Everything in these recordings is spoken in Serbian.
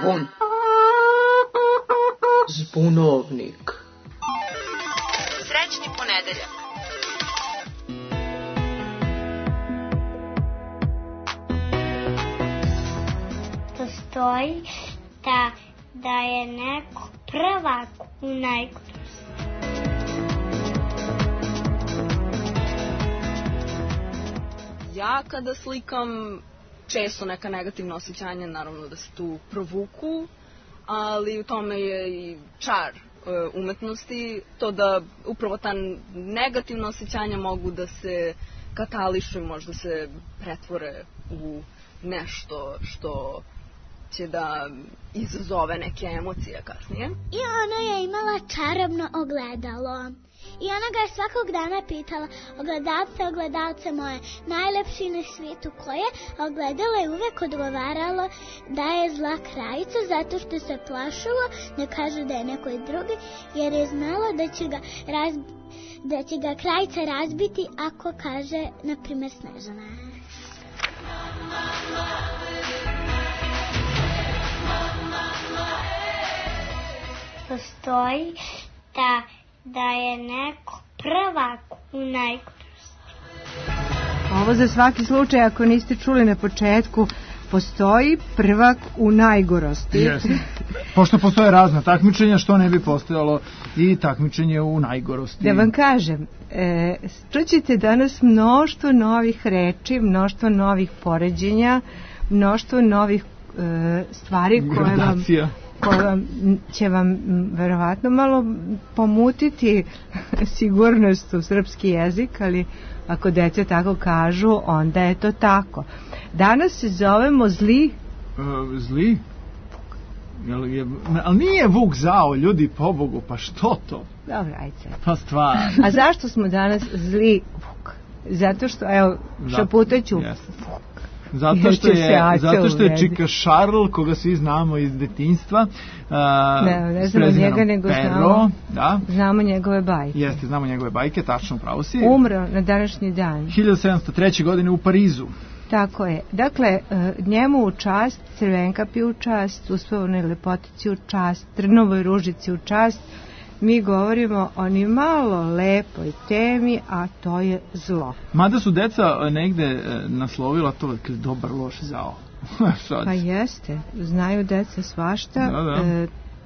Zvon. Zbunovnik. Srećni ponedeljak. Postoji da je neko prvak u najgorosti. Ja kada slikam često neka negativna osjećanja, naravno da se tu provuku, ali u tome je i čar umetnosti, to da upravo ta negativna osjećanja mogu da se katališu i možda se pretvore u nešto što će da izazove neke emocije kasnije. I ona je imala čarobno ogledalo. I ona ga je svakog dana pitala: ogledalce moje, najlepši na svijetu koje? A ogledalo je uvek odgovaralo da je zla krajica, zato što se plašilo da kaže da je nekoj drugi, jer je znalo da će ga krajica razbiti ako kaže, na primjer, Snežana. Postoji da je neko prvak u najgorosti. Ovo za svaki slučaj, ako niste čuli na početku, postoji prvak u najgorosti. Jeste. Pošto postoje razna takmičenja, što ne bi postojalo i takmičenje u najgorosti. Da vam kažem, čućete danas mnoštvo novih reči, mnoštvo novih poređenja, mnoštvo novih stvari koje će vam verovatno malo pomutiti sigurnost u srpski jezik, ali ako deca tako kažu, onda je to tako. Danas se zovemo Zli. Zli? Ali nije Vuk zao, ljudi, pobogu, pa što to? Dobro, ajde sad. Pa stvarno. A zašto smo danas Zli Vuk? Zato što, evo, šaputaću Vuk. Zato što je Čika Šarl, koga svi znamo iz detinjstva. Ne znamo njega, nego znamo njegove bajke. Jeste, znamo njegove bajke, tačno, pravo si. Umro na današnji dan. 1703. godine u Parizu. Tako je. Dakle, njemu u čast, Crvenkapi u čast, Uspavnoj lepotici u čast, Trnovoj ružici u čast. Mi govorimo o ni malo lepoj temi, a to je zlo. Mada su deca negde naslovila to dobar loš zao. Pa jeste, znaju deca svašta.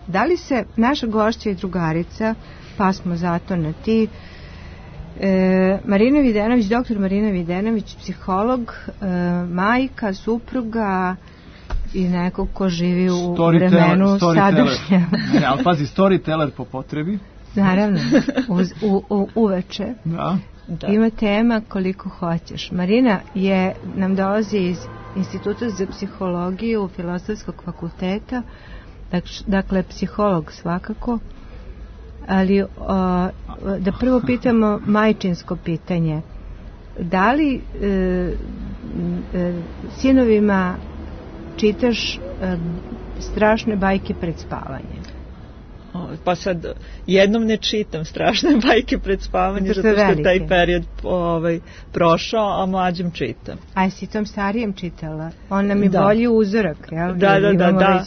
Da li se naša gošća i drugarica, pa smo zato na ti, Marina Videnović, doktor Marina Videnović, psiholog, majka, supruga i nekog ko živi u vremenu sadašnjem. Ne, ali pazi, storyteller po potrebi. Naravno, uveče. Da. Ima tema koliko hoćeš. Marina nam dolazi iz Instituta za psihologiju Filozofskog fakulteta, dakle psiholog svakako, ali da prvo pitamo majčinsko pitanje. Da li sinovima čitaš strašne bajke pred spavanje? Pa sad, jednom ne čitam strašne bajke pred spavanje, zato što je taj period prošao, a mlađem čitam. A jesi tom starijem čitala? On nam je bolji uzorak, jel? Da.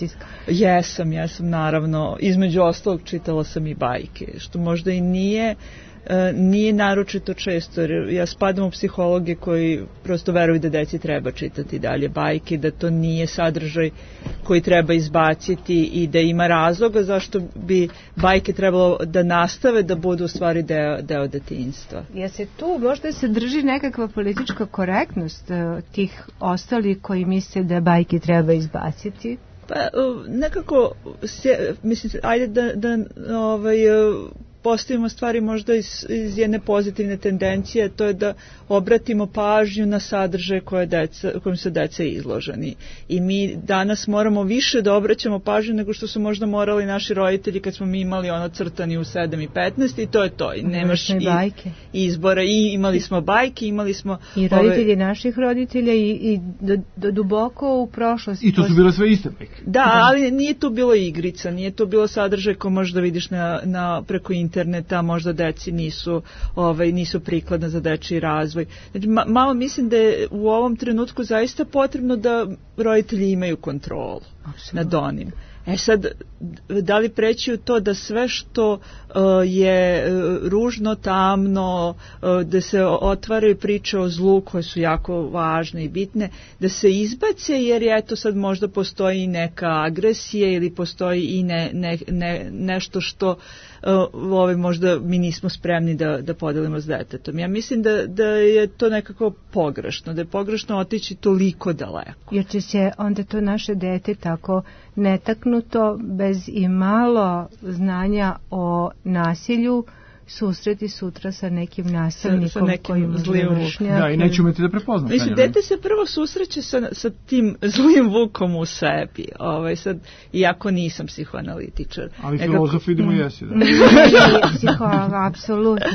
Jesam, naravno. Između ostalog čitala sam i bajke, što možda i nije naročito često, jer ja spadam u psihologe koji prosto veruju da deci treba čitati dalje bajke, da to nije sadržaj koji treba izbaciti i da ima razloga zašto bi bajke trebalo da nastave da budu u stvari deo detinjstva. Ja se tu možda se drži nekakva politička korektnost tih ostalih koji misle da bajke treba izbaciti? Pa nekako, mislim, ajde da postavimo stvari možda iz jedne pozitivne tendencije, to je da obratimo pažnju na sadržaje kojim su deca izloženi. I mi danas moramo više da obraćamo pažnju nego što su možda morali naši roditelji kad smo mi imali ono crtani u 7:15 i to je to. I nemaš izbora. I imali smo bajke, imali smo... I roditelji naših roditelja i duboko u prošlosti. I to su bile sve iste bajke. Da, ali nije to bilo igrica, nije to bilo sadržaj ko možda vidiš preko interneta. interneta, možda deci nisu prikladna za dečiji razvoj. Znači, malo mislim da je u ovom trenutku zaista potrebno da roditelji imaju kontrolu nad onim. Sad, da li preći u to da sve što je ružno, tamno, da se otvaraju priče o zlu koje su jako važne i bitne, da se izbace jer eto sad možda postoji i neka agresija ili postoji i nešto što možda mi nismo spremni da podelimo s detetom. Ja mislim da je to nekako pogrešno, da je pogrešno otići toliko daleko. Jer će se onda to naše dete tako netaknuto, bez i malo znanja o nasilju, susreti sutra sa nekim nasilnikom, sa nekim zlim vukom. Da, i neće umeti da prepozna. Mislim, dete se prvo susreće sa tim zlim vukom u sebi. Sad, iako nisam psihoanalitičar. Ali filozof vidimo jesi, da. Psiholog, apsolutno.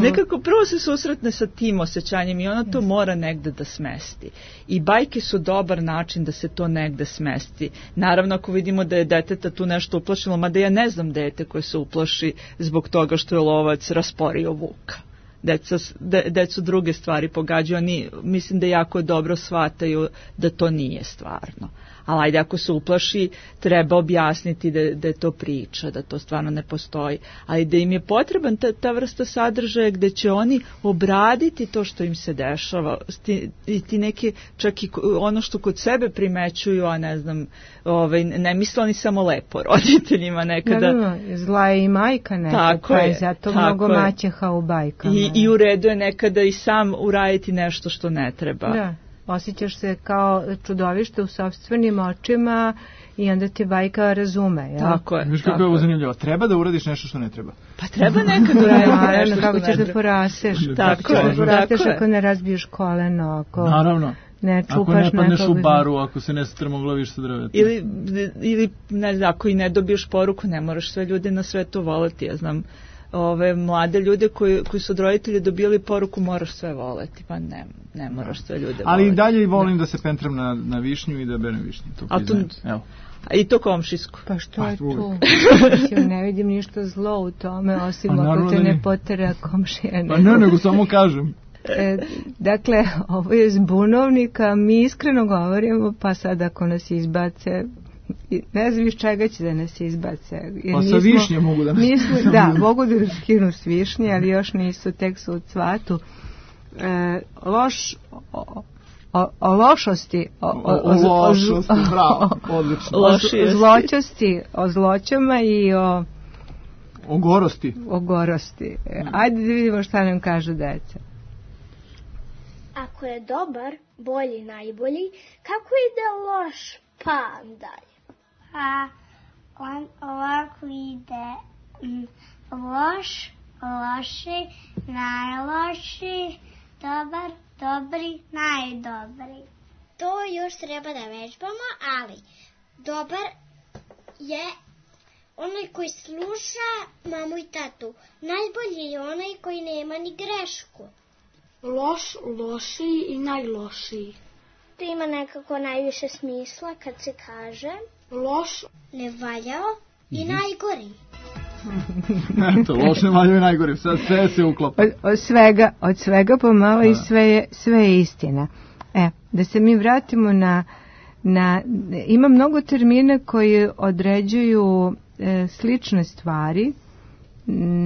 Nekako prvo se susretne sa tim osjećanjem i ona to mora negde da smesti. I bajke su dobar način da se to negde smesti. Naravno, ako vidimo da je deteta tu nešto uplašilo, mada ja ne znam dete koje se uplaši zbog toga što je lovac rasporio vuka. Decu druge stvari pogađaju, oni mislim da jako dobro shvataju da to nije stvarno. Ali ajde, ako se uplaši, treba objasniti da je to priča, da to stvarno ne postoji. Ali da im je potreban ta vrsta sadržaja gde će oni obraditi to što im se dešava. I ti neki, čak i ono što kod sebe primećuju, a ne znam, ne misle oni samo lepo roditeljima nekada. Zla je i majka nekada, pa je zato mnogo maćeha u bajkama. I u redu je nekada i sam uraditi nešto što ne treba. Da. Osjećaš se kao čudovište u sopstvenim očima i onda te bajka razume. Ja? Tako je. Viš kako je ovo zanimljivo. Treba da uradiš nešto što ne treba. Pa treba nekad uraditi nešto što kako ne treba. ćeš da poraseš. Tako je. Porasteš ako ne razbiješ koleno, ako naravno. Ne čupaš ako ne padneš u baru, ako se ne strmoglaviš sa drvetom. Ili ne znam, ako i ne dobiješ poruku, ne moraš sve ljude na svetu voleti. Ja znam mlade ljude koji su od roditelja dobili poruku moraš sve voleti, pa ne moraš sve ljude voleti. Ali i dalje volim da se pentram na višnju i da berem višnju. A i to komšijsko. Pa što je tu? Ne vidim ništa zlo u tome, osim ako te ne potera komšija. Pa ne, nego samo kažem. Dakle, ovo je zbunovnika, mi iskreno govorimo, pa sad ako nas izbace, ne znam iz čega će da nas izbace. Pa sa višnje mogu da nas izbace. Da, mogu da nas skinu s višnje, ali još nisu, tek su u cvatu. O lošosti, bravo, odlično. Zločasti, o zloćama i o gorosti. O gorosti. Ajde da vidimo šta nam kažu deca. Ako je dobar, bolji, najbolji, kako ide loš, pa dalje? A on ovako ide loš, loši, najloši, dobar, dobri, najdobri. To još treba da vežbamo, ali dobar je onaj koji sluša mamu i tatu. Najbolji je onaj koji nema ni grešku. Loš, lošiji i najlošiji. To ima nekako najviše smisla kad se kaže loš, nevaljao i najgori. Eto, loš, nevaljao i najgori, sad sve se uklapa. Od svega pomalo i sve je istina. Da se mi vratimo ima mnogo termina koji određuju slične stvari.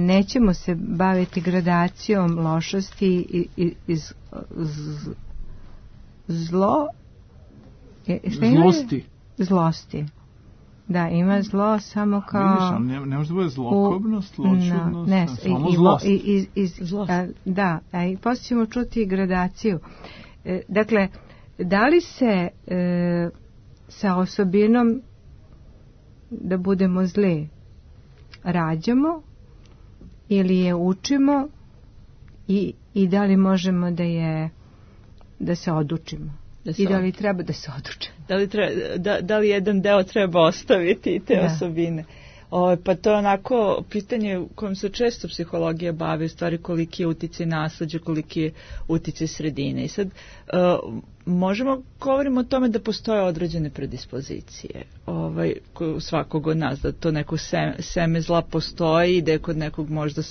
Nećemo se baviti gradacijom lošosti i zlosti. Da, ima zlo samo kao... Vidiš, ne može da bude zlokobnost, ločudnost, samo zlost. Da, i poslije ćemo čuti i gradaciju. Dakle, da li se sa osobinom da budemo zli rađamo ili je učimo i da li možemo da se odučimo? I da li treba da se odučimo? Da li jedan deo treba ostaviti te osobine? Pa to je onako pitanje u kojem se često psihologija bavi, u stvari koliki je uticaj nasleđa, koliki je uticaj sredine. I sad možemo govorimo o tome da postoje određene predispozicije svakog od nas, da to neko seme zla postoji i da je kod nekog možda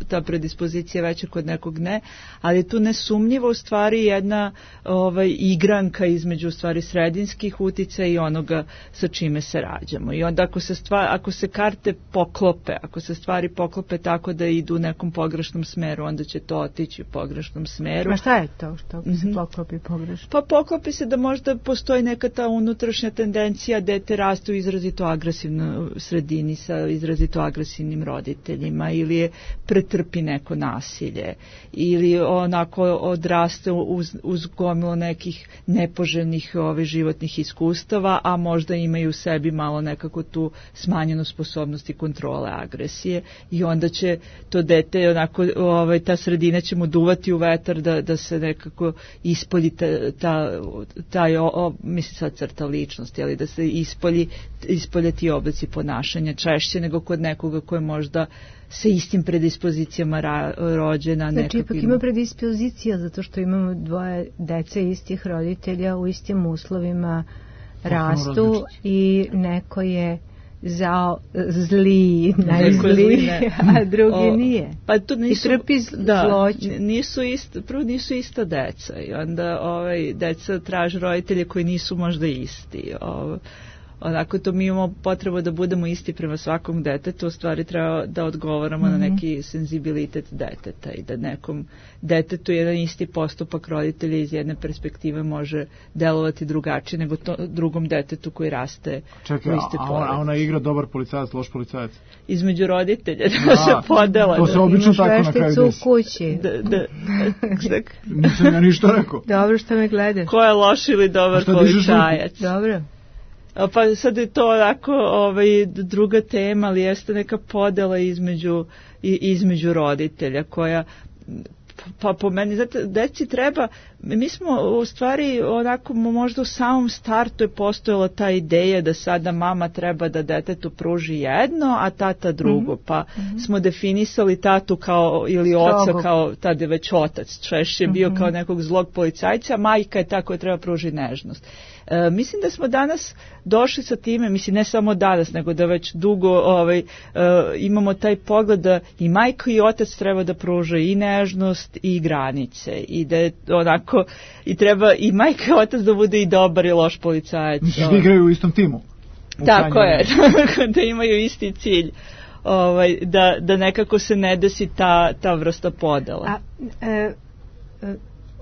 ta predispozicija veća, kod nekog ne, ali tu nesumnjivo u stvari jedna igranka između u stvari sredinskih uticaja i onoga sa čime se rađamo. I onda ako se karte poklope, ako se stvari poklope tako da idu u nekom pogrešnom smeru, onda će to otići u pogrešnom smeru. A šta je to što se poklopi pogrešno? Pa poklopi se da možda postoji neka ta unutrašnja tendencija, dete raste u izrazito agresivnoj sredini sa izrazito agresivnim roditeljima ili je pretrpi neko nasilje ili onako odraste uz gomilu nekih nepoželjnih životnih iskustava, a možda imaju u sebi malo nekako tu smanjenu sposobnost i kontrole agresije i onda će to dete onako, ta sredina će mu duvati u vetar da se nekako ispolji mislim sad crta ličnosti, ali da se ispolje ti oblici ponašanja češće nego kod nekoga ko je možda sa istim predispozicijama rođena. Znači ipak ima predispozicija zato što imamo dvoje dece istih roditelja u istim uslovima rastu i neko je zli, najzliji, a drugi nije. Pa to nisu, i trpi zloću. Prvo nisu ista deca i onda deca traže roditelje koji nisu možda isti. Onako to mi imamo potrebu da budemo isti prema svakom detetu, u stvari treba da odgovaramo na neki senzibilitet deteta i da nekom detetu jedan isti postupak roditelja iz jedne perspektive može delovati drugačije nego drugom detetu koji raste u iste porodice. A ona igra dobar policajac, loš policajac? Između roditelja da se podela. To se obično tako na kraju desi. U kući. Nisam ja ništa rekao. Dobro što me gledaš. Ko je loš ili dobar policajac? Dobro. Pa sad je to onako druga tema, ali jeste neka podela između roditelja koja, pa po meni, znate, deci treba, mi smo u stvari onako možda u samom startu je postojala ta ideja da sada mama treba da detetu pruži jedno, a tata drugo, pa smo definisali tatu kao, ili oca kao, tada je već otac, češće je bio kao nekog zlog policajca, a majka je ta koja treba pruži nežnost. Mislim da smo danas došli sa time, mislim ne samo danas, nego da već dugo imamo taj pogled da i majka i otac treba da pruže i nežnost i granice i da je onako i treba i majka i otac da bude i dobar i loš policajac. Misliš da igraju u istom timu? Tako je, da imaju isti cilj. Da nekako se ne desi ta vrsta podela.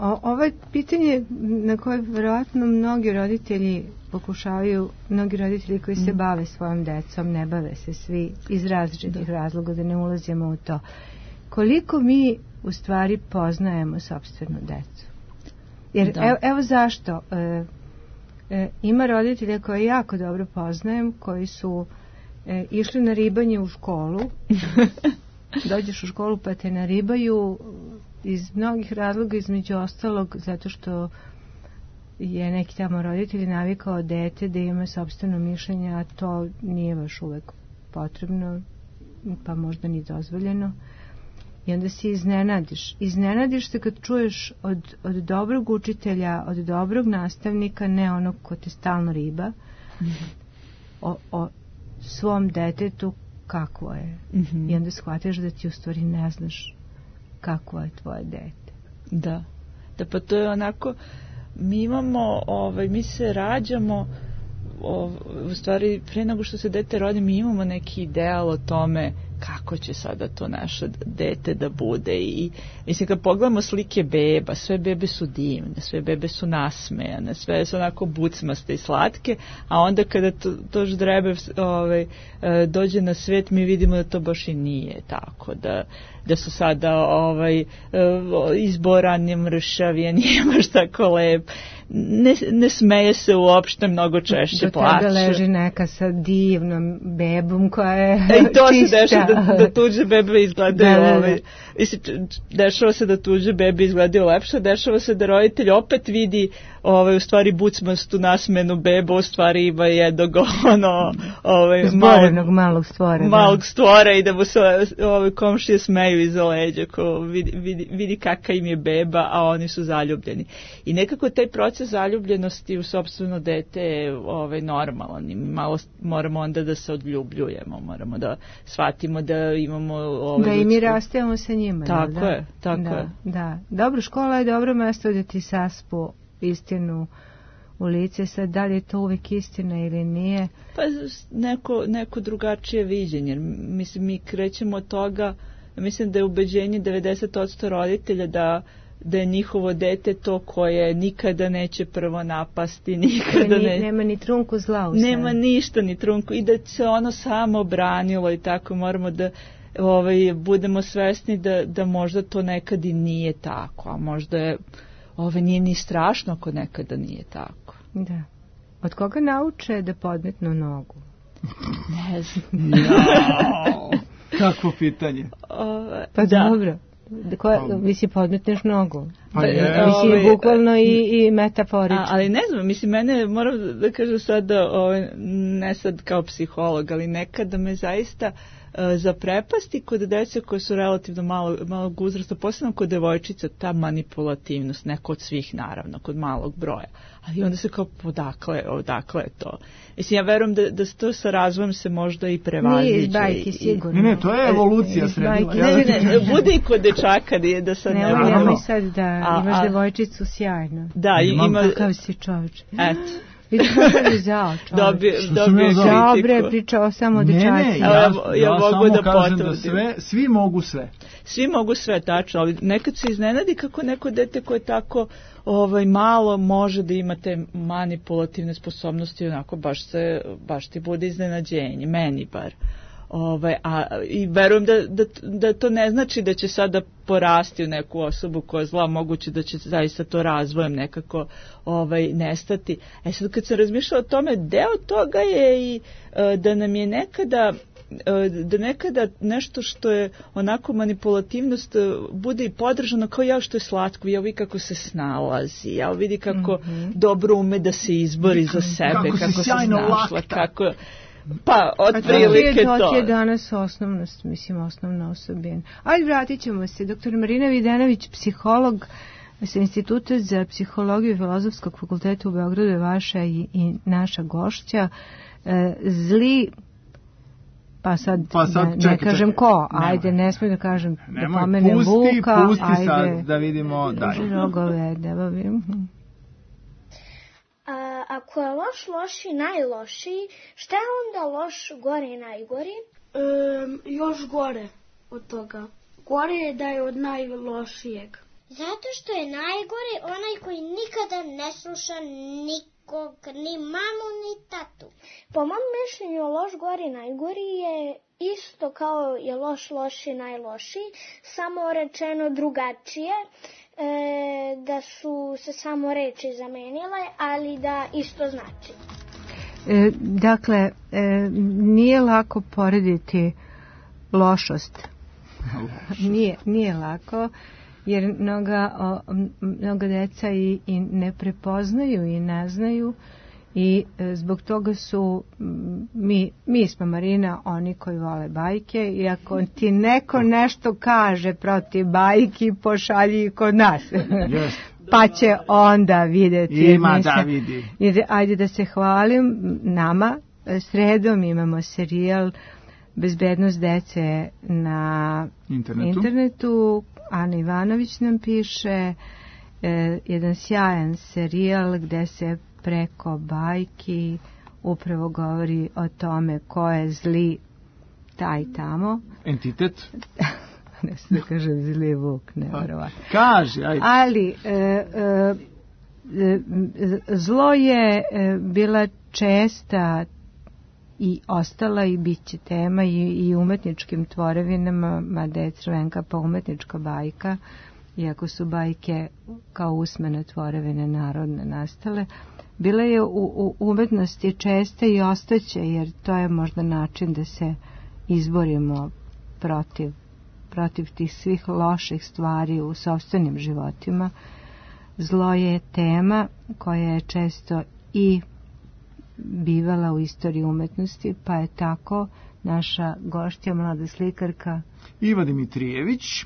Ovo je pitanje na koje verovatno mnogi roditelji koji se bave svojom decom, ne bave se svi iz različitih razloga, da ne ulazimo u to. Koliko mi u stvari poznajemo sopstvenu decu? Jer evo zašto. Ima roditelja koje jako dobro poznajem, koji su išli na ribanje u školu. Dođeš u školu pa te naribaju iz mnogih razloga, između ostalog zato što je neki tamo roditelj navikao dete da ima sopstveno mišljenje, a to nije baš uvek potrebno, pa možda ni dozvoljeno. I onda se iznenadiš se kad čuješ od dobrog učitelja, od dobrog nastavnika, ne onog ko te stalno riba, o svom detetu kakvo je. I onda shvatiš da ti u stvari ne znaš kakvo je tvoje dete. Da, pa to je onako, mi imamo, mi se rađamo, u stvari pre nego što se dete rodi, mi imamo neki ideal o tome kako će sada to naše dete da bude i mislim kad pogledamo slike beba, sve bebe su divne, sve bebe su nasmejane, sve su onako bucmaste i slatke, a onda kada to ždrebe dođe na svet, mi vidimo da to baš i nije tako, da su sada izborani, mršavi, a nije baš tako lep, ne smeje se uopšte, mnogo češće plače. Do tada leži neka sa divnom bebom koja je i to čista. Se dešava da tuđe bebe izgledaju dešava se da tuđe bebe izgledaju lepše, dešava se da roditelj opet vidi u stvari bucmastu nasmenu beba, u stvari ima jednog malog stvora i da mu se komšije smeju iza leđa, ko vidi kakav im je beba, a oni su zaljubljeni. I nekako taj proces zaljubljenosti u sopstveno dete je normalan i malo moramo onda da se odljubljujemo, moramo da shvatimo da imamo da i mi rastemo sa njima. Tako je. Da. Dobro, škola je dobro mesto da ti saspu istinu u lice. Sad, da li je to uvijek istina ili nije? Pa neko drugačije viđenje. Mislim, mi krećemo od toga, mislim da je ubeđenje 90% roditelja da je njihovo dete to koje nikada neće prvo napasti, nema ni trunku zla u sebi. Nema ništa ni trunku i da se ono samo branilo i tako. Moramo da budemo svesni da možda to nekad i nije tako, a možda je nije ni strašno ako nekada nije tako. Da. Od koga nauče da podmetnu nogu? Ne znam. Kakvo pitanje? Pa dobro. Vi si podmetneš nogu. Vi si bukvalno i metaforično. Ali ne znam, mislim, mene, moram da kažem sad da, ne sad kao psiholog, ali nekada me zaista zaprepasti kod dece koje su relativno malog uzrasta, posebno kod devojčica, ta manipulativnost, neko od svih naravno, kod malog broja. Ali onda se kao, odakle je to? Mislim, ja verujem da to sa razvojem se možda i prevaziđe. Nije iz bajke, sigurno. Ne, to je evolucija sredila. Ne, bude i kod dečaka, da sad ne možemo. Nemoj sad da imaš devojčicu sjajno. Da, ima... Kakav si čovječ. Eto. Vidiš kako je zao čovječ. Dobio kritiku. Pričao samo o dečaci. Ja mogu da kažem da svi mogu sve. Svi mogu sve, tačno, ali nekad se iznenadi kako neko dete koje tako malo može da ima te manipulativne sposobnosti, onako baš ti bude iznenađenje, meni bar. I verujem da to ne znači da će sada porasti u neku osobu koja je zla, moguće da će zaista to razvojem nekako nestati. Sad kad sam razmišljala o tome, deo toga je i da nam je nekada nešto što je onako manipulativnost bude i podržano kao što je slatko, vidi kako se snalazi, vidi kako dobro ume da se izbori za sebe, kako se snašla, kako... Pa, otprilike to. To je danas osnovna osobina. Ali vratit ćemo se. Dr. Marina Videnović, psiholog sa Instituta za psihologiju i Filozofskog fakulteta u Beogradu je vaša i naša gošća. Zli, pa sad ne kažem ko, ajde, ne smijem da kažem, da pomenem Vuka. Pusti sad da vidimo dalje. Rogove, da bavim. Ako je loši najlošiji, šta je onda loš gore i najgori? Još gore od toga. Gore je da je od najlošijeg. Zato što je najgore onaj koji nikada ne sluša nikog, ni mamu, ni tatu. Po mom mišljenju, loš gore i najgori je isto kao je loši najlošiji, samo rečeno drugačije. Da su se samo reči zamenile, ali da isto znači. Dakle, nije lako porediti lošost. Nije lako, jer mnoga deca i ne prepoznaju i ne znaju i zbog toga su mi smo, Marina, oni koji vole bajke, i ako ti neko nešto kaže protiv bajki, pošalji ih kod nas. Pa će onda vidjeti. Ima da vidi. Ajde da se hvalim nama. Sredom imamo serijal Bezbednost dece na internetu. Ana Ivanović nam piše jedan sjajan serijal gde se preko bajki upravo govori o tome ko je zli taj tamo. Entitet? Ne se da kažem zli Vuk, nevjerovatno. Kaži, ajde. Ali zlo je bila česta i ostala i bit će tema i umetničkim tvorevinama, mada je Crvenka pa umetnička bajka, iako su bajke kao usmene tvorevine narodne nastale. Bila je u umetnosti česta i ostaće, jer to je možda način da se izborimo protiv tih svih loših stvari u sopstvenim životima. zlo je tema koja je često i bivala u istoriji umetnosti, pa je tako naša gošća, mlada slikarka Iva Dimitrijević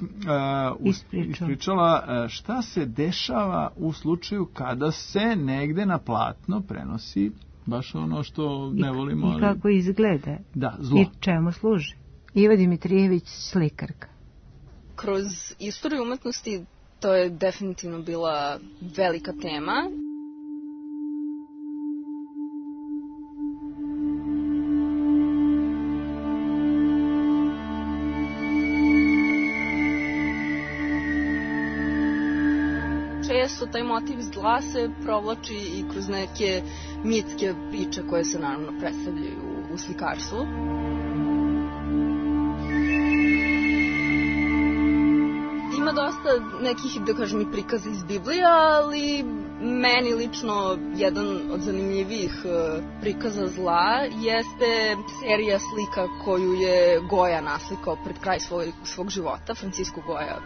ispričala šta se dešava u slučaju kada se negde na platno prenosi baš ono što ne volimo. I kako izgleda. Da, zlo. I čemu služi. Iva Dimitrijević, slikarka. Kroz istoriju umetnosti to je definitivno bila velika tema. Često taj motiv zla se provlači i kroz neke mitske priče koje se naravno predstavljaju u slikarstvu. Ima dosta nekih, da kažem, i prikaza iz Biblije, ali meni lično jedan od zanimljivijih prikaza zla jeste serija slika koju je Goya naslikao pred kraj svog života, Francisco Goya,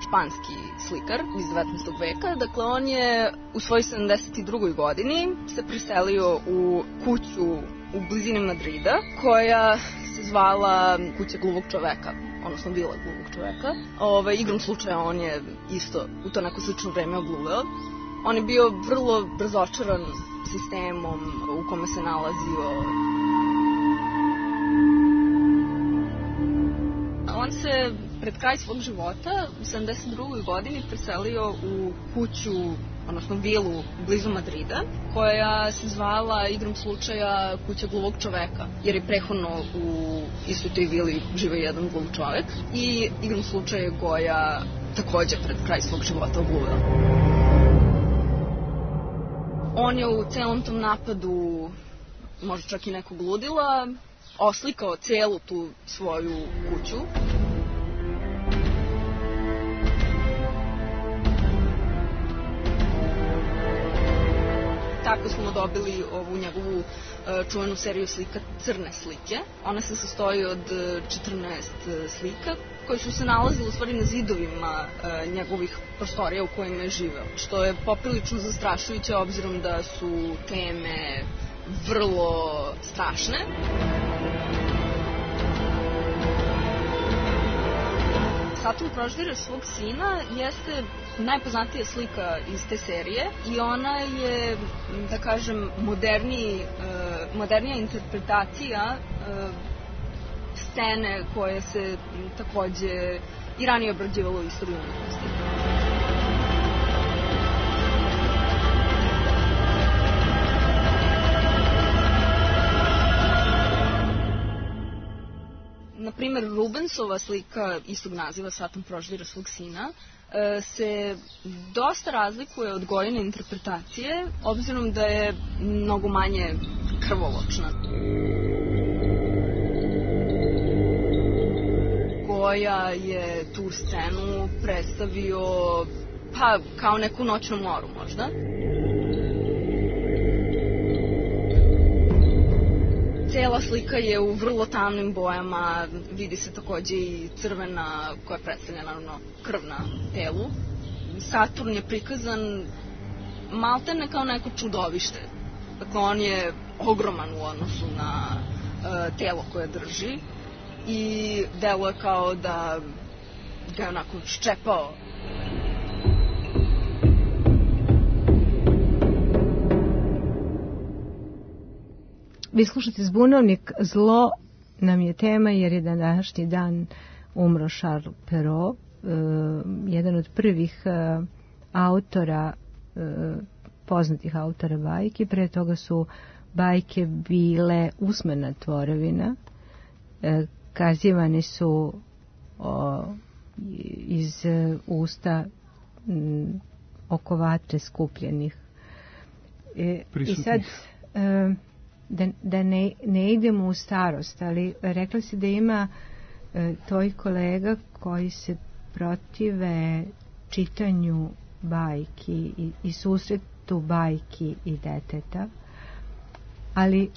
španski slikar iz 19. veka. Dakle, on je u svojoj 72. godini se preselio u kuću u blizini Madrida, koja se zvala Kuća gluvog čoveka, odnosno vila gluvog čoveka. Igrom slučaja on je isto u to neko slično vreme ogluveo. On je bio vrlo razočaran sistemom u kome se nalazio. On se pred kraj svog života u 72. godini preselio u kuću, odnosno vilu blizu Madrida, koja se zvala igrom slučaja Kuća gluvog čoveka, jer je prethodno u istoj toj vili živeo jedan gluv čovek i igrom slučaja je Goya takođe pred kraj svog života ogluveo. On je u celom tom napadu, možda čak i nekog ludila, oslikao celu tu svoju kuću. Tako smo dobili ovu njegovu čuvenu seriju slika Crne slike. Ona se sastoji od 14 slika koje su se nalazile u stvari na zidovima njegovih prostorija u kojima je živeo, što je poprilično zastrašujuće obzirom da su teme vrlo strašne. Saturn proždire svog sina jeste najpoznatija slika iz te serije i ona je, da kažem, modernija interpretacija scene koje se takođe i ranije obrađivalo u istoriji umetnosti. Naprimer, Rubensova slika istog naziva Saturn proždire svog sina se dosta razlikuje od Goyine interpretacije, obzirom da je mnogo manje krvoločna. Goya je tu scenu predstavio kao neku noćnu moru možda. Cela slika je u vrlo tamnim bojama, vidi se takođe i crvena koja predstavlja naravno krv na telu. Saturn je prikazan maltene kao neko čudovište. Dakle, on je ogroman u odnosu na telo koje drži i deluje kao da ga je onako ščepao. Vi slušate Zbunovnik, zlo nam je tema jer je današnji dan umro Charles Perrault, jedan od prvih autora, poznatih autora bajki. Pre toga su bajke bile usmena tvorevina, kazivane su iz usta oko vatre skupljenih. I sad... Da ne idemo u starost, ali rekla si da ima tvoj kolega koji se protive čitanju bajki i susretu bajki i deteta, ali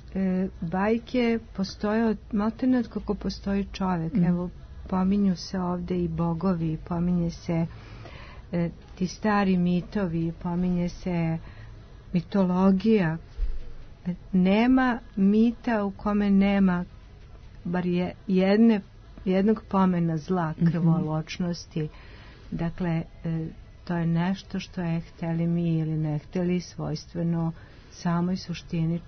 bajke postoje maltene od kako postoji čovek. Evo, pominju se ovde i bogovi, pominje se ti stari mitovi, pominje se mitologija. Nema mita u kome nema bar jednog pomena zla, krvoločnosti. Dakle, to je nešto što je, hteli mi ili ne hteli, svojstveno samoj suštini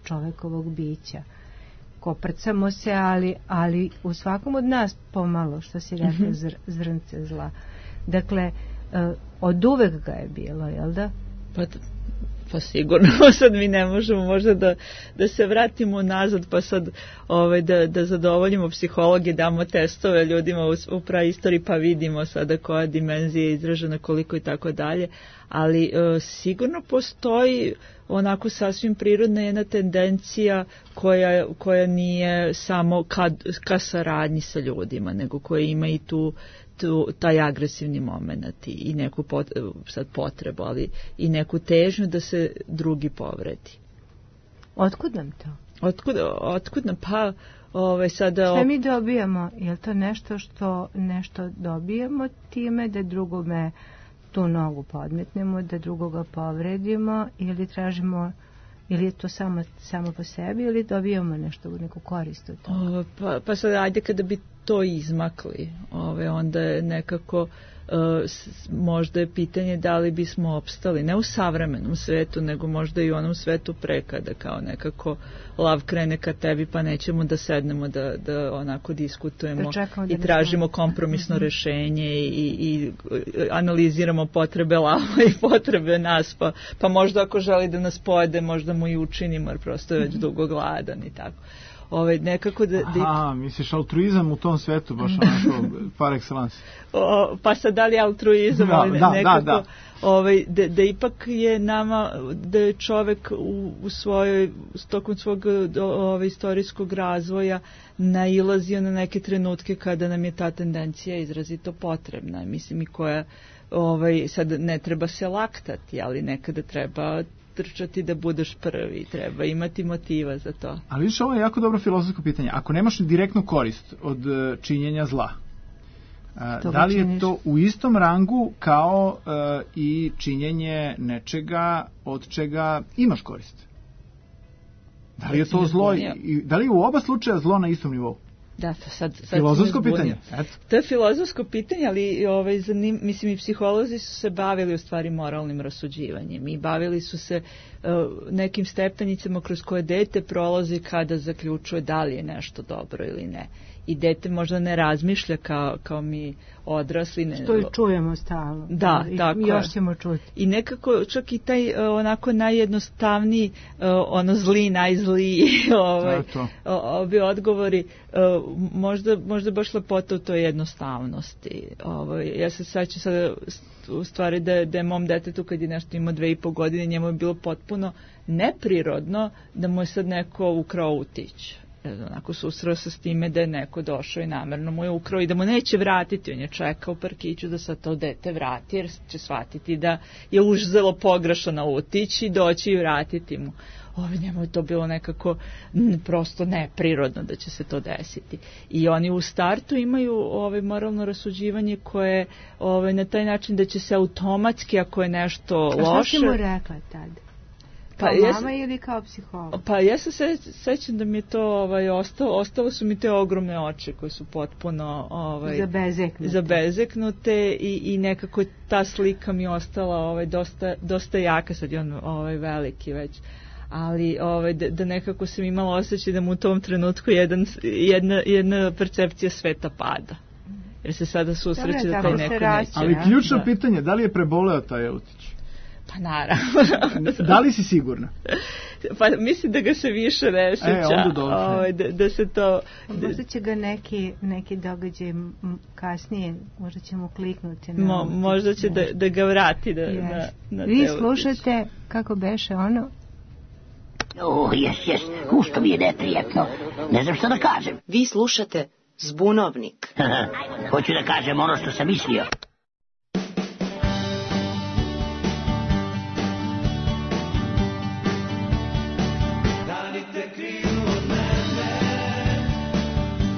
čovekovog bića. Koprcamo se, ali u svakom od nas pomalo, što si rekla, zrnce zla. Dakle, od uvek ga je bilo, jel da? Pa sigurno, sad mi ne možemo možda da se vratimo nazad, pa sad da zadovoljimo psihologe, damo testove ljudima u praistoriji, pa vidimo sada koja dimenzija je izražena, koliko i tako dalje, ali sigurno postoji onako sasvim prirodna jedna tendencija koja nije samo ka saradnji sa ljudima, nego koja ima i taj agresivni moment i neku sad potrebu, ali i neku težnju da se drugi povredi. Otkud nam to? Otkud nam? Pa sada... Šta mi dobijamo? Je li to nešto dobijamo time da drugome tu nogu podmetnemo, da drugoga povredimo, ili tražimo, ili je to samo po sebi, ili dobijamo nešto, neku korist od toga? Pa sad, ajde kada bi to izmakli, onda je nekako možda je pitanje da li bismo opstali, ne u savremenom svetu, nego možda i u onom svetu pre, kada kao nekako lav krene ka tebi, pa nećemo da sednemo da onako diskutujemo i tražimo kompromisno rešenje i analiziramo potrebe lava i potrebe nas, pa možda ako želi da nas pojede, možda mu i učinimo, jer prosto je već dugo gladan i tako. Nekako misliš altruizam u tom svetu, baš onako par excellence. Pa sad da li altruizam, ali nekako da ipak je nama, da je čovek u svojoj, tokom svog istorijskog razvoja nailazio na neke trenutke kada nam je ta tendencija izrazito potrebna, mislim, i koja sad ne treba se laktati, ali nekada treba trčati da budeš prvi, treba imati motiva za to. Ali vidiš, ovo je jako dobro filozofsko pitanje. Ako nemaš direktnu korist od činjenja zla, da li je to u istom rangu kao i činjenje nečega od čega imaš korist? Da li je to zlo, da li je u oba slučaja zlo na istom nivou? Da, to sad filozofsko pitanje. To je filozofsko pitanje, ali mislim i psiholozi su se bavili u stvari moralnim rasuđivanjem i bavili su se nekim stepenicama kroz koje dete prolazi kada zaključuje da li je nešto dobro ili ne. I dete možda ne razmišlja kao mi odrasli. Što i čujemo stalno. Da, tako je. Još ćemo čuti. I nekako čak i taj onako najjednostavniji, zli, najzliji ovi odgovori, možda baš lepota u toj jednostavnosti. Ja se sećam sada u stvari da je mom detetu kad je nešto imao 2,5 godine, njemu je bilo potpuno neprirodno da mu je sad neko ukrao utić. Onako susreo se s time da je neko došao i namerno mu je ukrao i da mu neće vratiti. On je čekao u parkiću da sad to dete vrati, jer će shvatiti da je uzelo pogrešno utić i doći i vratiti mu. Njemu je to bilo nekako prosto neprirodno da će se to desiti. I oni u startu imaju moralno rasuđivanje koje na taj način da će se automatski, ako je nešto loše... A što si mu rekla tada? Kao mama ili kao psiholog? Pa ja se sećam da mi je to ostalo su mi te ogromne oči koje su potpuno zabezeknute i nekako ta slika mi je ostala dosta jaka, sad je on veliki već, ali da nekako sam imala osjećaj da mu u tom trenutku jedna percepcija sveta pada. Jer se sada susreće da taj neko neće. Ali ključno pitanje, da li je preboleo taj utić? Pa naravno. Da li si sigurna? Pa mislim da ga se više ne sjeća. Da se to... Možda će ga neki događaj kasnije, možda ćemo kliknuti. Možda će da ga vrati na Vi slušate, kako beše ono? Jes, ušto mi je neprijatno. Ne znam što da kažem. Vi slušate Zbunovnik. Hoću da kažem ono što sam mislio.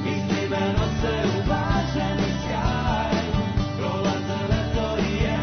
Misli me nose u blaženi sjaj, prolaze letovi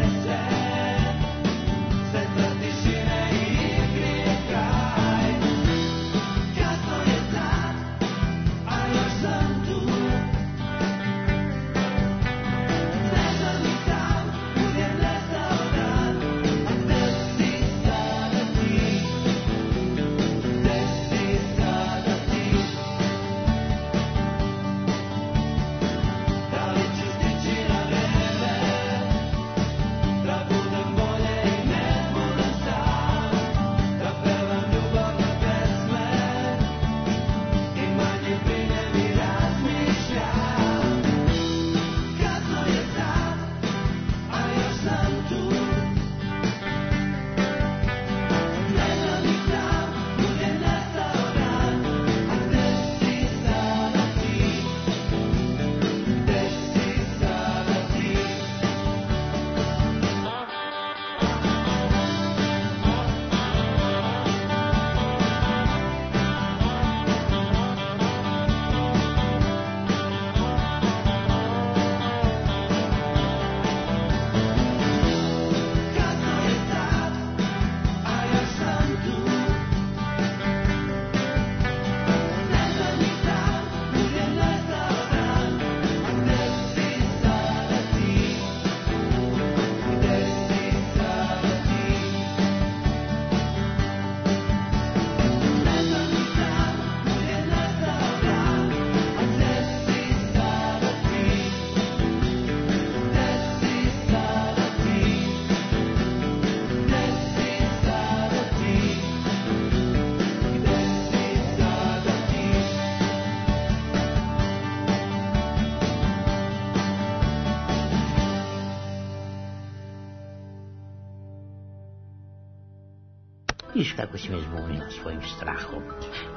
Viš kako si me zbunila svojim strahom.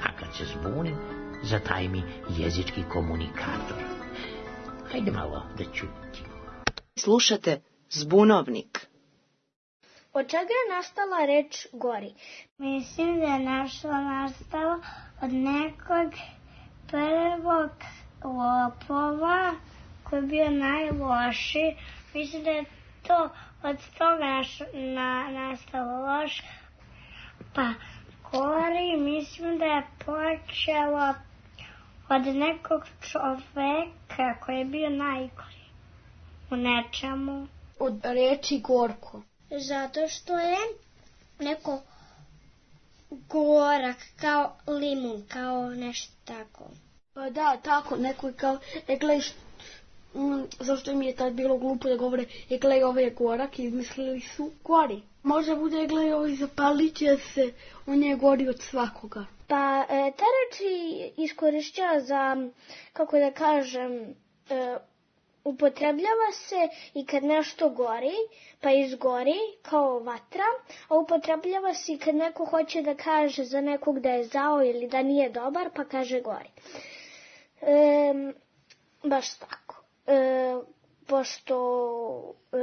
A kad se zbunim, zataj mi jezički komunikator. Hajde malo da čutim. Slušate Zbunovnik. Od čega je nastala reč gori? Mislim da je nastalo od nekog prvog lopova koji je bio najlošiji. Mislim da je to od toga nastalo loš. Pa gori, mislim da je počelo od nekog čoveka koji je bio najgori u nečemu. Od reči gorko. Zato što je neko gorak, kao limun, kao nešto tako. Pa da, tako, neko je kao, glej, zašto mi je tad bilo glupo da govore, glej, ovo je gorak, izmislili su gori. Može bude, glej, ovo zapalit će se, on je gori od svakoga. Pa ta reč iskorišćava za, kako da kažem, upotrebljava se i kad nešto gori, pa izgori kao vatra, a upotrebljava se i kad neko hoće da kaže za nekog da je zao ili da nije dobar, pa kaže gori. Baš tako. Pošto,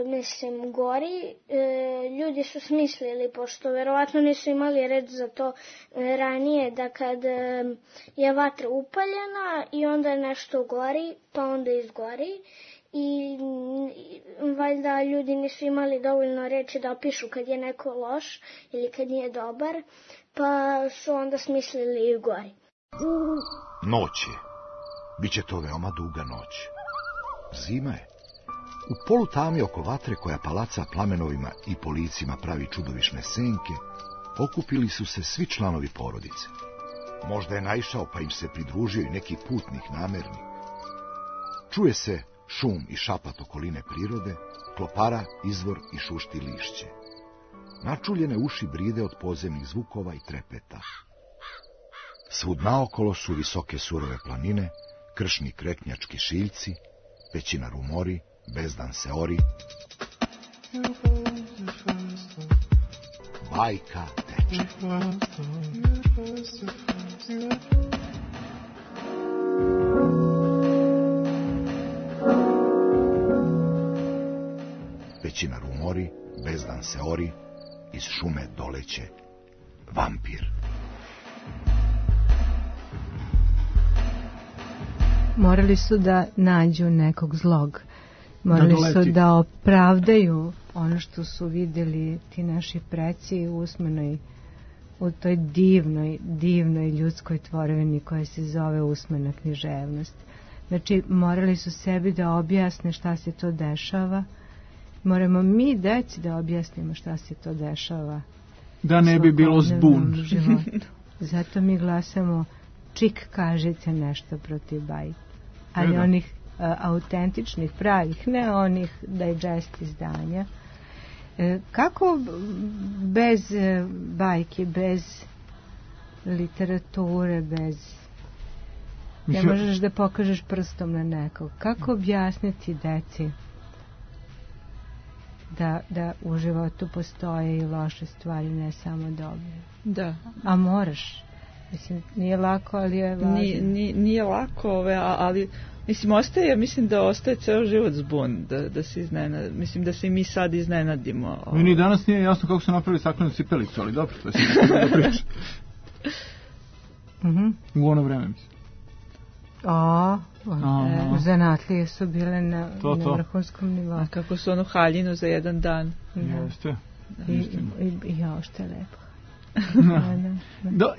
mislim, gori, ljudi su smislili, pošto verovatno nisu imali reč za to ranije, da kad je vatra upaljena i onda nešto gori, pa onda izgori, i valjda ljudi nisu imali dovoljno reči da opišu kad je neko loš ili kad nije dobar, pa su onda smislili i gori. Noć je. Biće to veoma duga noć. Zima je. U polutami oko vatre koja palaca plamenovima i po licima pravi čudovišne senke, okupili su se svi članovi porodice. Možda je naišao pa im se pridružio i neki putnik namerni. Čuje se šum i šapat okoline prirode, klopara, izvor i šušti lišće. Načuljene uši bride od podzemnih zvukova i trepeta. Svud naokolo su visoke surove planine, kršni kreknjački šiljci, pećina rumori, bezdan se ori. Bajka teče. Pećina rumori, bezdan se ori, iz šume doleće vampir. Morali su da nađu nekog zlog. Morali su da opravdaju ono što su vidjeli ti naši preci u toj divnoj ljudskoj tvorevini koja se zove usmena književnost. Znači, morali su sebi da objasne šta se to dešava. Moramo mi, deci, da objasnimo šta se to dešava. Da ne bi bilo zbun. Zato mi glasamo čik kažice nešto protiv bajke. Ali onih autentičnih, pravih, ne onih digest izdanja. Kako bez bajke, bez literature, bez... Ne možeš da pokažeš prstom na nekog. Kako objasniti deci da u životu postoje i loše stvari, ne samo dobre? Da. A moraš. Mislim, nije lako, ali je važno. Nije lako, ali mislim da ostaje ceo život zbun, da se iznenadi. Mislim da se i mi sad iznenadimo. Meni danas nije jasno kako su napravili staklenu cipelicu, ali dobro, to je da priča. U ono vreme, mislim. Zanatlije su bile na vrhunskom nivou. A kako su onu haljinu za jedan dan. Jeste. I što je lepo.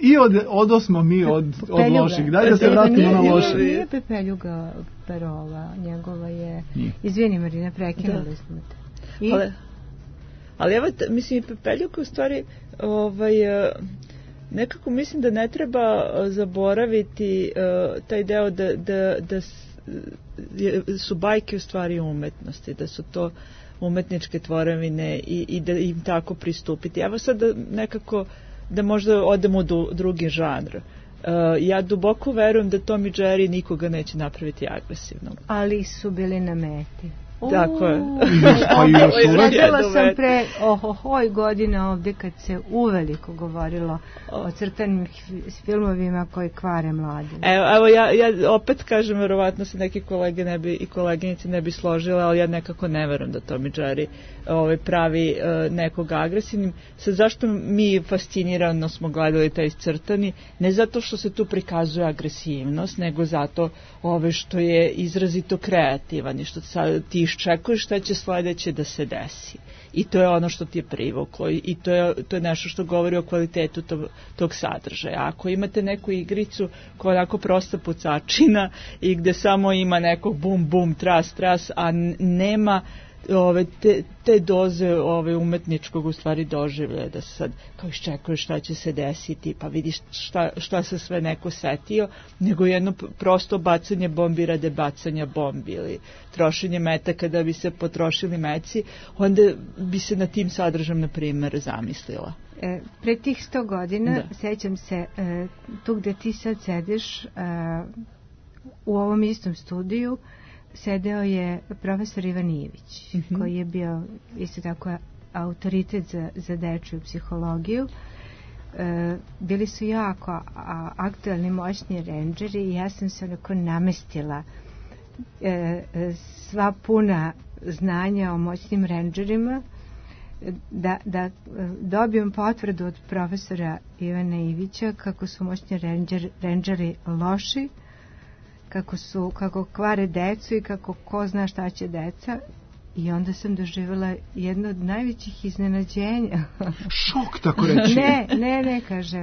I odosmo mi od loših. Daj da se vratimo na loše. Nije Pepeljuga Perova, njegova je... Izvini, Marina, prekinuli smo te. Ali evo, mislim, Pepeljuga u stvari nekako mislim da ne treba zaboraviti taj deo da su bajke u stvari umetnosti, da su to umetničke tvorevine i da im tako pristupiti. Evo sad nekako da možda odemo u drugi žanr. Ja duboko verujem da Tom i Jerry nikoga neće napraviti agresivnom. Ali su bili na meti. Tako je. Sledila sam pre godina ovde kad se uveliko govorilo o crtanim filmovima koji kvare mlade. Evo ja opet kažem, verovatno se neki kolege i koleginice ne bi složile, ali ja nekako ne verujem da Tom i Jerry pravi nekog agresivnim. Sad, zašto mi fascinirano smo gledali taj crtani? Ne zato što se tu prikazuje agresivnost, nego zato što je izrazito kreativan i što ti iščekuješ šta će sledeće da se desi. I to je ono što ti je privuklo i to je nešto što govori o kvalitetu tog sadržaja. Ako imate neku igricu koja je onako prosta pucačina i gde samo ima nekog bum, bum, tras, tras, a nema te doze umetničkog u stvari doživljaja da se sad kao iščekuješ šta će se desiti, pa vidiš šta se sve neko setio, nego jedno prosto bacanje bombi rade bacanja bombi ili trošenje metaka da bi se potrošili meci, onda bi se na tim sadržajem, na primjer, zamislila. Pre tih 100 godina, sećam se, tu gde ti sad sediš, u ovom istom studiju, sedeo je profesor Ivan Ivić, koji je bio isto tako autoritet za dečju psihologiju. Bili su jako aktualni, moćni rendžeri i ja sam se onako namestila sva puna znanja o moćnim rendžerima da dobijem potvrdu od profesora Ivića kako su moćni rendžeri loši, kako kvare decu i kako ko zna šta će deca. I onda sam doživjela jedno od najvećih iznenađenja. Šok, tako reći. Ne, kaže,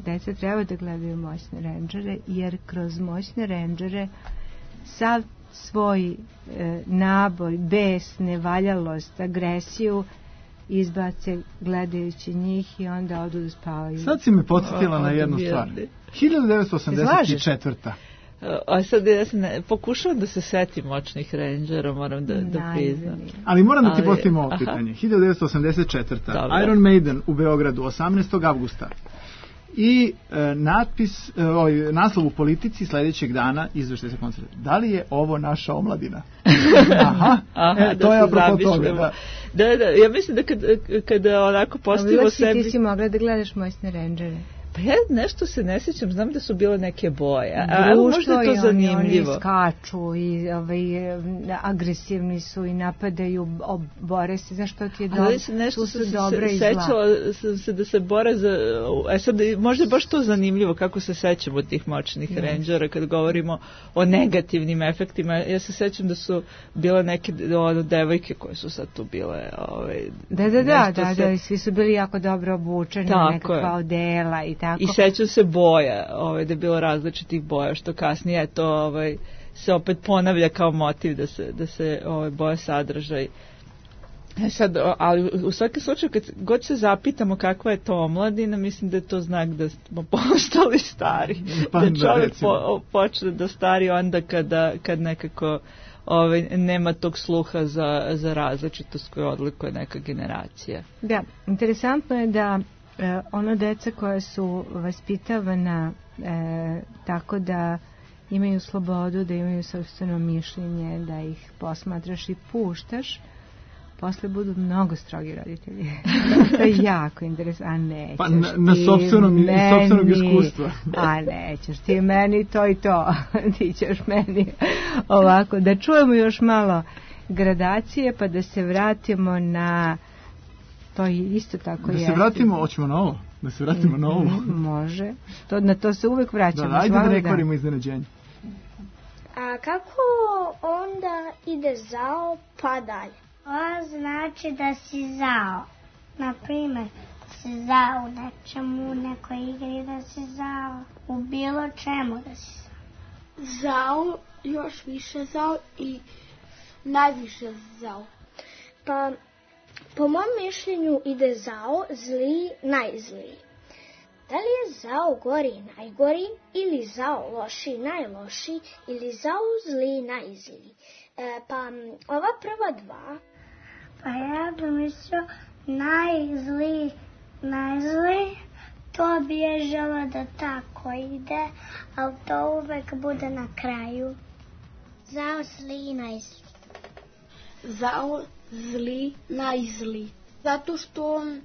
deca treba da gledaju moćne rendžere, jer kroz moćne rendžere sav svoj naboj, bes, nevaljalost, agresiju izbace gledajući njih i onda odu da spavaju. Sad si me podsjetila na jednu stvar. 1984. A sad ja pokušavam da se setim moćnih rendžera, moram da priznam. Ali moram da ti postavim ovo pitanje. 1984. Iron Maiden u Beogradu, 18. avgusta. I naslov u Politici sledećeg dana izveštaj sa koncerta. Da li je ovo naša omladina? To je apropo toga. Da, ja mislim da kada onako postavimo sebi... Ti si mogla da gledaš moćne rendžere. Pa ja nešto se ne sjećam, znam da su bile neke boje. Možda je to zanimljivo. Oni skaču i agresivni su i napadaju, bore se, znaš što ti je dobro, tu su dobra i zla. Sećala sam se da se bore za... sad, možda je baš to zanimljivo kako se sećamo tih moćnih rendžera kad govorimo o negativnim efektima. Ja se sećam da su bile neke devojke koje su sad tu bile... Da, i svi su bili jako dobro obučeni, nekakva odela i tako. I sećam se boja, da je bilo različitih boja, što kasnije to se opet ponavlja kao motiv da se boja sadržaj. Sad, ali u svakom slučaju, kad god se zapitamo kakva je to omladina, mislim da je to znak da smo postali stari. Da čovjek počne da stari onda kad nekako nema tog sluha za različitost koju odlikuje neka generacija. Da, interesantno je da ono deca koja su vaspitavana tako da imaju slobodu, da imaju sopstveno mišljenje, da ih posmatraš i puštaš, posle budu mnogo strogi roditelji. To je jako interesantno. A nećeš pa na sopstvenog iskustva. A nećeš ti meni to i to. Ti ćeš meni ovako. Da čujemo još malo gradacije pa da se vratimo na... To je isto tako da se vratimo, hoćemo na ovo? Da se vratimo na ovo? Može. Na to se uvek vraćamo. Ajde da ne kvarimo iznenađenje. A kako onda ide zao pa dalje? To znači da si zao. Naprimer, si zao u nečemu, u nekoj igri da si zao. U bilo čemu da si zao. Zao, još više zao i najviše zao. Pa... Po mom mišljenju ide zao, zli, najzliji. Da li je zao gori i najgori, ili zao loši i najloši, ili zao zli i najzliji? Pa ova prva dva... Pa ja bih mislio najzli, to bi je žela da tako ide, ali to uvek bude na kraju. Zao, zli i najzliji. zao, zli, najzli. Zato što on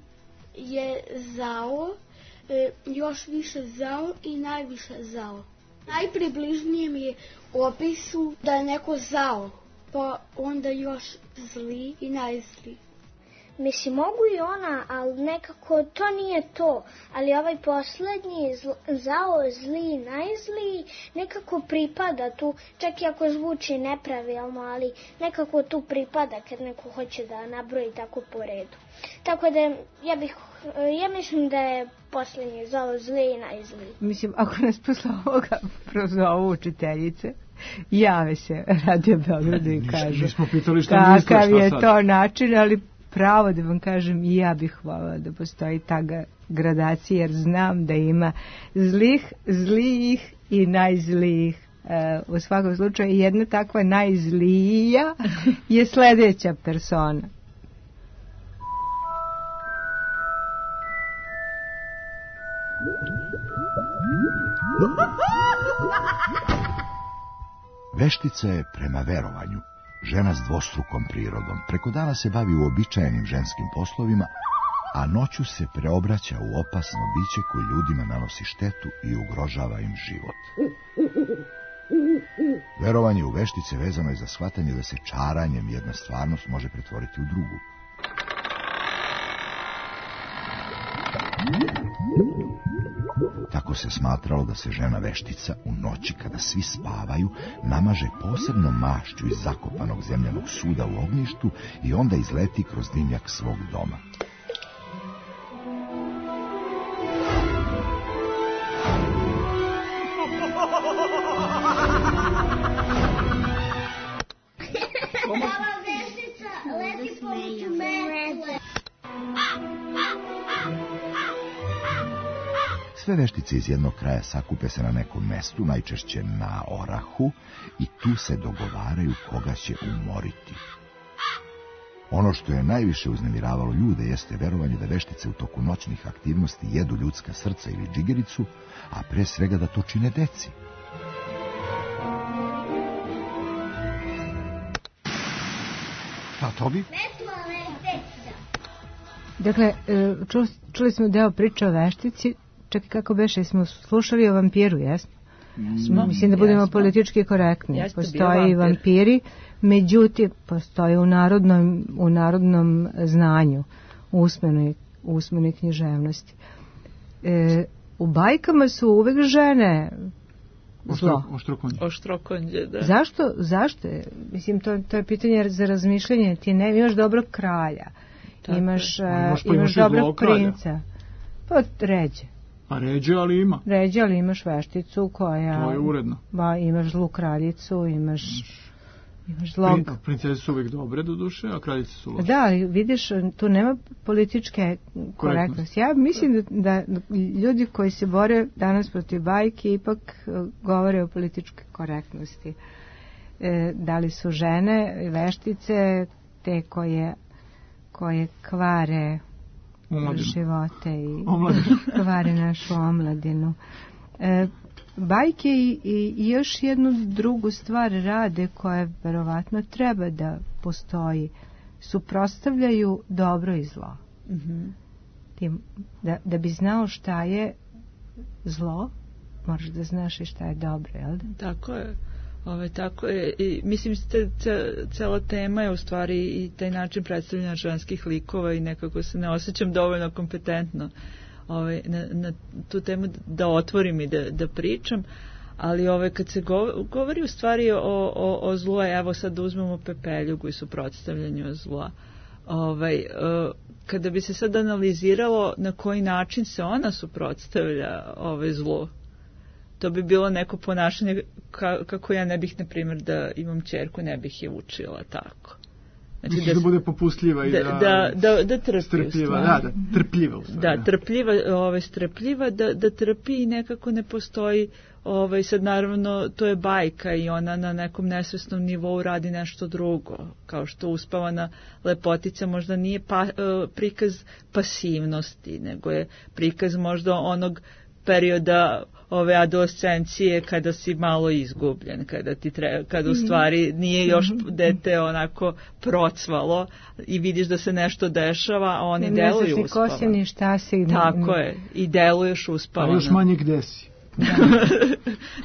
je zao, još više zao i najviše zao. Najpribližnije mi je opisu da je neko zao, pa onda još zli i najzli. Mislim, mogu i ona, ali nekako to nije to. Ali ovaj poslednji, zao, zli, najzli, nekako pripada tu, čak i ako zvuči nepravilno, ali nekako tu pripada kad neko hoće da nabroji tako po redu. Tako da ja mislim da je poslednji zao, zli i najzli. Mislim, ako nas posle ovoga prozovu učiteljice, jave se Radio Beogradu i kažu kakav je to način, ali pravo da vam kažem, i ja bih hvala da postoji ta gradacija, jer znam da ima zlijih i najzlijih. U svakom slučaju, jedna takva najzlija je sledeća persona. Veštica je prema verovanju žena s dvostrukom prirodom. Preko dana se bavi uobičajenim ženskim poslovima, a noću se preobraća u opasno biće koje ljudima nanosi štetu i ugrožava im život. Verovanje u veštice vezano je za shvatanje da se čaranjem jedna stvarnost može pretvoriti u drugu. Tako se smatralo da se žena veštica u noći kada svi spavaju namaže posebnom mašću iz zakopanog zemljanog suda u ognjištu i onda izleti kroz dimnjak svog doma. Sve veštice iz jednog kraja sakupe se na nekom mestu, najčešće na orahu, i tu se dogovaraju koga će umoriti. Ono što je najviše uznemiravalo ljude jeste verovanje da veštice u toku noćnih aktivnosti jedu ljudska srca ili džigericu, a pre svega da to čine deci. Šta, Tobi? Dakle, čuli smo deo priče o veštici. Čekaj, kako beše, smo slušali o vampiru, jesmo? Mislim da budemo politički korektni. Postoje i vampiri, međutim, postoje u narodnom znanju, u usmenoj književnosti. U bajkama su uvek žene zlo. Oštrokonđe, da. Zašto? Mislim, to je pitanje za razmišljanje. Ti ne imaš dobrog kralja, imaš dobrog princa. Pa ređe. A ređe, ali ima. Ređe, ali imaš vešticu koja... To je uredno. Imaš zlu kraljicu, imaš zlog... Princeze su uvijek dobre do duše, a kraljice su loše. Da, ali vidiš, tu nema političke korektnosti. Ja mislim da ljudi koji se bore danas protiv bajke ipak govore o političkoj korektnosti. Da li su žene, veštice, te koje kvare živote i kvare našu omladinu. Bajke i još jednu drugu stvar rade koja verovatno treba da postoji. Suprotstavljaju dobro i zlo. Da bi znao šta je zlo, moraš da znaš i šta je dobro, jel da? Tako je. Tako je. I mislim, cela tema je u stvari i taj način predstavljanja ženskih likova i nekako se ne osjećam dovoljno kompetentno na tu temu da otvorim i da pričam, ali kad se govori u stvari o zlu, evo sad uzmemo Pepeljugu i suprotstavljanju zla. Kada bi se sad analiziralo na koji način se ona suprotstavlja zlu, to bi bilo neko ponašanje kako ja ne bih, na primjer, da imam ćerku, ne bih je učila tako. Znači da bude popustljiva i da trpi. Strpljiva, trpljiva. Da, trpljiva, strpljiva, da trpi i nekako ne postoji, sad naravno to je bajka i ona na nekom nesvesnom nivou radi nešto drugo, kao što uspavana lepotica možda nije prikaz pasivnosti, nego je prikaz možda onog perioda ove adolescencije kada si malo izgubljen, kada u stvari nije još dete onako procvalo i vidiš da se nešto dešava, a oni deluju uspavano. Ne znaš ni ko si, ni šta si. Tako je, i deluješ uspavano. A još manje gde si.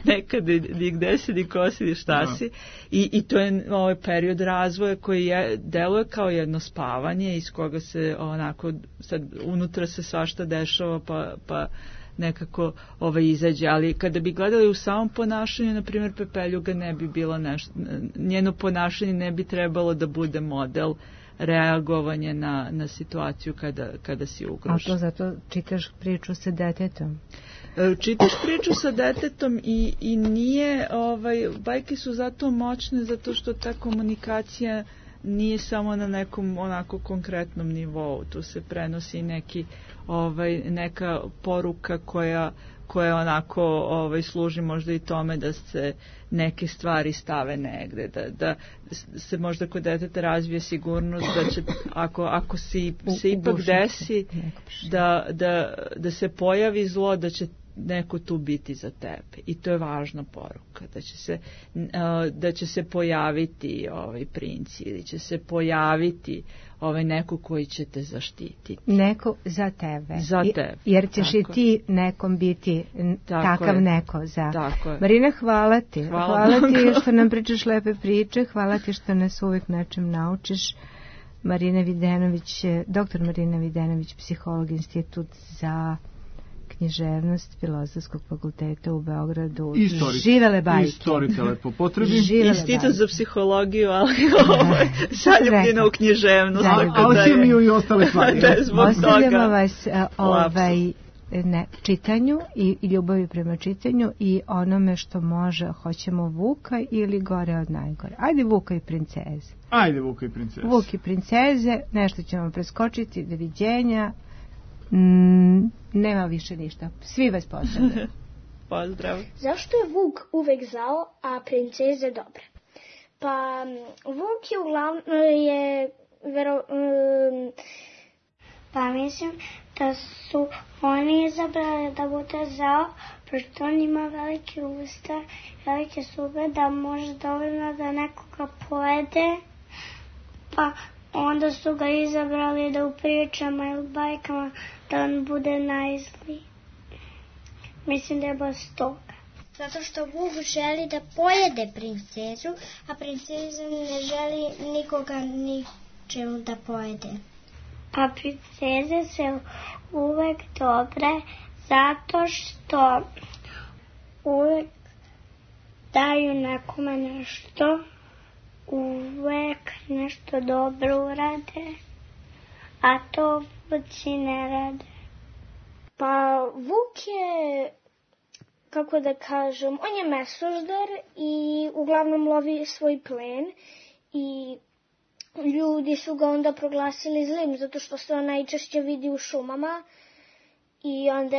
Nekada ni gde si, ni ko si, ni šta si. I to je ovaj period razvoja koji deluje kao jedno spavanje iz koga se onako, sad unutra se svašta dešava pa nekako izađe, ali kada bi gledali u samom ponašanju, na primjer Pepeljuga ne bi bilo nešto, njeno ponašanje ne bi trebalo da bude model reagovanja na situaciju kada si ugrožen. A to zato čitaš priču sa detetom? Čitaš priču sa detetom i nije, bajke su zato moćne zato što ta komunikacija nije samo na nekom onako konkretnom nivou, tu se prenosi neka poruka koja onako služi možda i tome da se neke stvari stave negde, da se možda kod deteta razvije sigurnost da će, ako se ipak desi da se pojavi zlo, da će neko tu biti za tebe. I to je važna poruka, da će se pojaviti princ ili će se pojaviti neko koji će te zaštititi. Neko za tebe. Za tebe. Jer ćeš i ti nekom biti takav neko za. Marina, hvala ti. Hvala ti što nam pričaš lepe priče, hvala ti što nas uvijek nečem naučiš. Marina Videnović, doktor Marina Videnović, psiholog, Institut za književnost Filozofskog fakulteta u Beogradu. Živele bajke. Istorikale po potrebi. Institut za psihologiju, ali zaljubljeno u književnost. Alhemiju i ostale stvari. Ostavljamo vas čitanju i ljubavi prema čitanju i onome što može. Hoćemo Vuka ili gore od najgore. Ajde Vuka i princeze. Vuk i princeze, nešto ćemo preskočiti, doviđenja. Nema više ništa. Svi vas pozdravljaju. Pozdrav. Zašto je Vuk uvek zao, a princeze dobre? Pa Vuk je uglavnom pa mislim da su oni izabrali da bude zao, pošto on ima velike usta, velike zube, da može dovoljno da nekoga pojede, pa onda su ga izabrali da u pričama ili bajkama da on bude najzliji. Mislim da je baš toga. Zato što Vuk želi da pojede princezu, a princeza ne želi nikoga ničemu da pojede. Pa princeze se uvek dobre zato što uvek daju nekome nešto, uvek nešto dobro urade, a to vuci ne rade. Pa Vuk je, kako da kažem, on je mesožder i uglavnom lovi svoj plen i ljudi su ga onda proglasili zlim zato što se on najčešće vidi u šumama i onda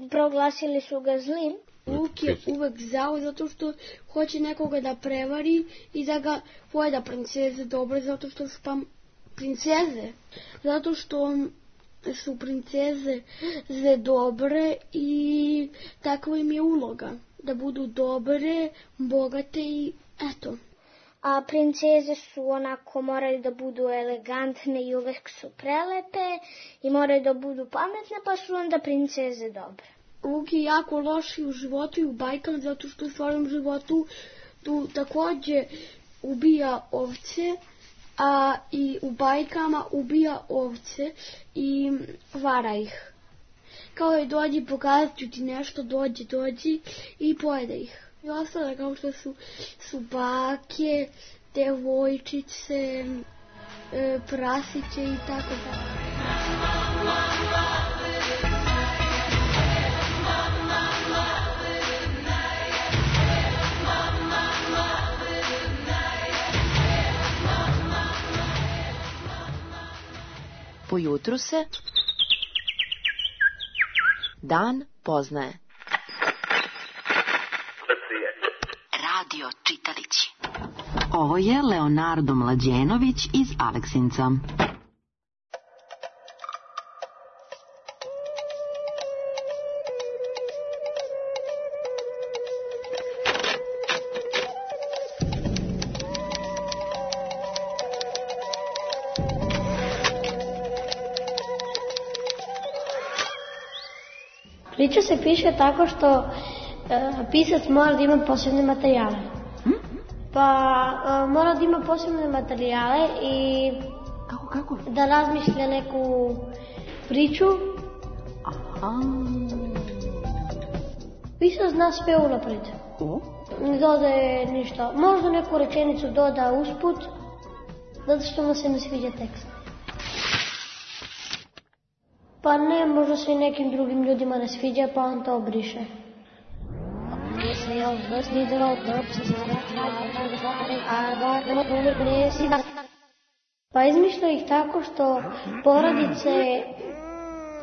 proglasili su ga zlim. Vuk je uvek zao zato što hoće nekoga da prevari i da ga pojeda. Princeze dobre zato što su princeze. Zato što su princeze dobre i takva im je uloga. Da budu dobre, bogate i eto. A princeze su onako, moraju da budu elegantne i uvek su prelepe i moraju da budu pametne, pa su onda princeze dobre. Vuk je jako loš u životu i u bajkama zato što u stvarnom životu tu takođe ubija ovce, a i u bajkama ubija ovce i vara ih. Kao je dođi, pokazat ću ti nešto, dođi i pojede ih. I ostale kao što su bake, devojčice, prasiće i tako dalje. Po jutru se dan poznaje. Radio čitalići. Ovo je Leonardo Mlađenović iz Aleksinca. Priča se piše tako što pisac mora da ima posebne materijale. Pa mora da ima posebne materijale i Kako? Da razmišlja neku priču. Aha. Pisac zna sve unapred. Ne dodaje ništa. Možda neku rečenicu doda usput, zato što mu se ne sviđa tekst. Pa ne, možda se i nekim drugim ljudima ne sviđa, pa on to obriše. Pa izmišlja ih tako što porodice,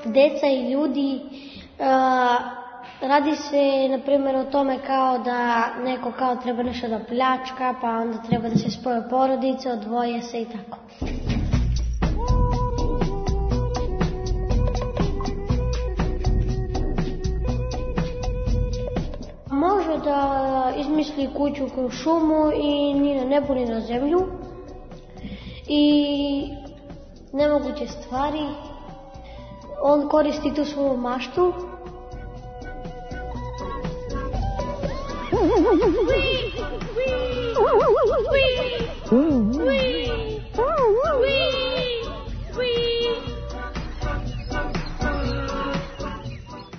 deca i ljudi, radi se, na primjer, o tome kao da neko kao treba nešto da pljačka, pa onda treba da se spoje porodice, odvoje se i tako. Može da izmisli kuću kroz šumu i ni na nebu ni na zemlju i nemoguće stvari. On koristi tu svoju maštu.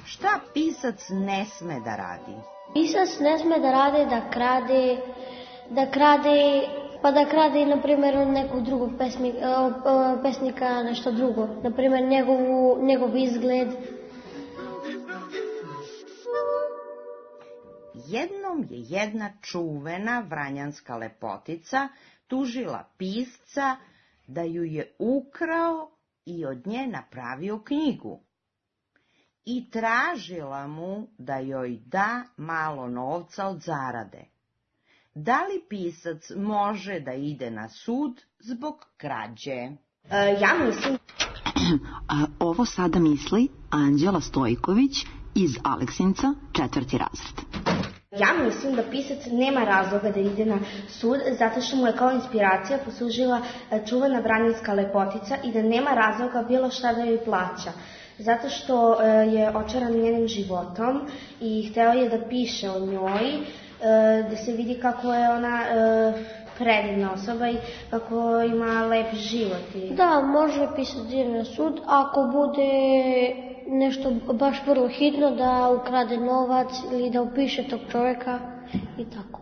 Šta pisac ne sme da radi? Pisac ne sme da radi pa da krade, na primjer, od nekog drugog pesnika nešto drugo. Na primjer, njegov izgled. Jednom je jedna čuvena vranjanska lepotica tužila pisca da ju je ukrao i od nje napravio knjigu. I tražila mu da joj da malo novca od zarade. Da li pisac može da ide na sud zbog krađe? Ja mislim... Ovo sada misli Anđela Stojković iz Aleksinca, 4. razred. Ja mislim da pisac nema razloga da ide na sud, zato što mu je kao inspiracija poslužila čuvena vranjanska lepotica i da nema razloga bilo šta da joj plaća. Zato što je očaran njenim životom i hteo je da piše o njoj, da se vidi kako je ona predivna osoba i kako ima lep život. Da, može pisac da ide na sud ako bude nešto baš vrlo hitno, da ukrade novac ili da upiše tog čovjeka i tako.